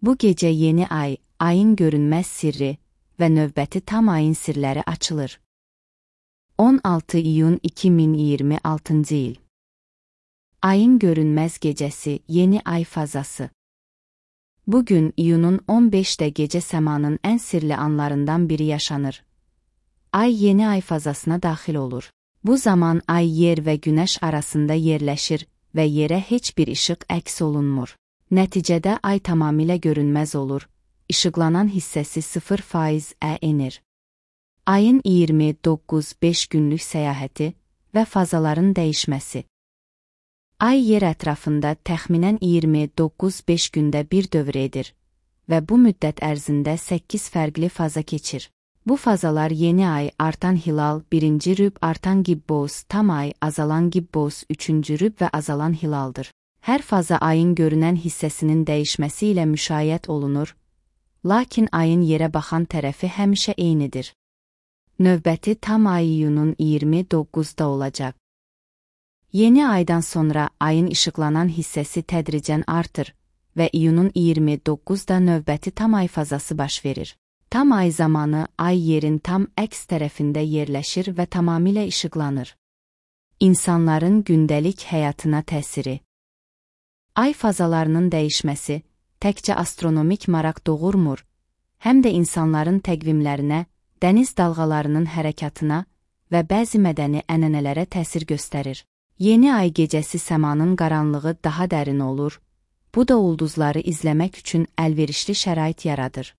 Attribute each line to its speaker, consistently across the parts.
Speaker 1: Bu gecə yeni ay, ayın görünməz sirri və növbəti tam ayın sirləri açılır. 16 iyun 2026-cı il. Ayın görünməz gecəsi, yeni ay fazası. Bugün iyunun 15'də gecə səmanın ən sirli anlarından biri yaşanır. Ay yeni ay fazasına daxil olur. Bu zaman ay yer və günəş arasında yerləşir və yerə heç bir işıq əks olunmur. Nəticədə ay tamamilə görünməz olur, işıqlanan hissəsi 0%-ə enir. Ayın 29-5 günlük səyahəti və fazaların dəyişməsi. Ay yer ətrafında təxminən 29-5 gündə bir dövr edir və bu müddət ərzində 8 fərqli faza keçir. Bu fazalar yeni ay, artan hilal, birinci rüb, artan gibbos, tam ay, azalan gibbos, üçüncü rüb və azalan hilaldır. Hər faza ayın görünən hissəsinin dəyişməsi ilə müşayiət olunur, lakin ayın yerə baxan tərəfi həmişə eynidir. Növbəti tam ay iyunun 29'da olacaq. Yeni aydan sonra ayın işıqlanan hissəsi tədricən artır və iyunun 29'da növbəti tam ay fazası baş verir. Tam ay zamanı ay yerin tam əks tərəfində yerləşir və tamamilə işıqlanır. İnsanların gündəlik həyatına təsiri. Ay fazalarının dəyişməsi təkcə astronomik maraq doğurmur, həm də insanların təqvimlərinə, dəniz dalğalarının hərəkatına və bəzi mədəni ənənələrə təsir göstərir. Yeni ay gecəsi səmanın qaranlığı daha dərin olur, bu da ulduzları izləmək üçün əlverişli şərait yaradır.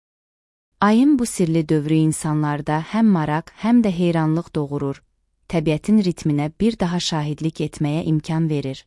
Speaker 1: Ayın bu sirli dövrü insanlarda həm maraq, həm də heyranlıq doğurur, təbiətin ritminə bir daha şahidlik etməyə imkan verir.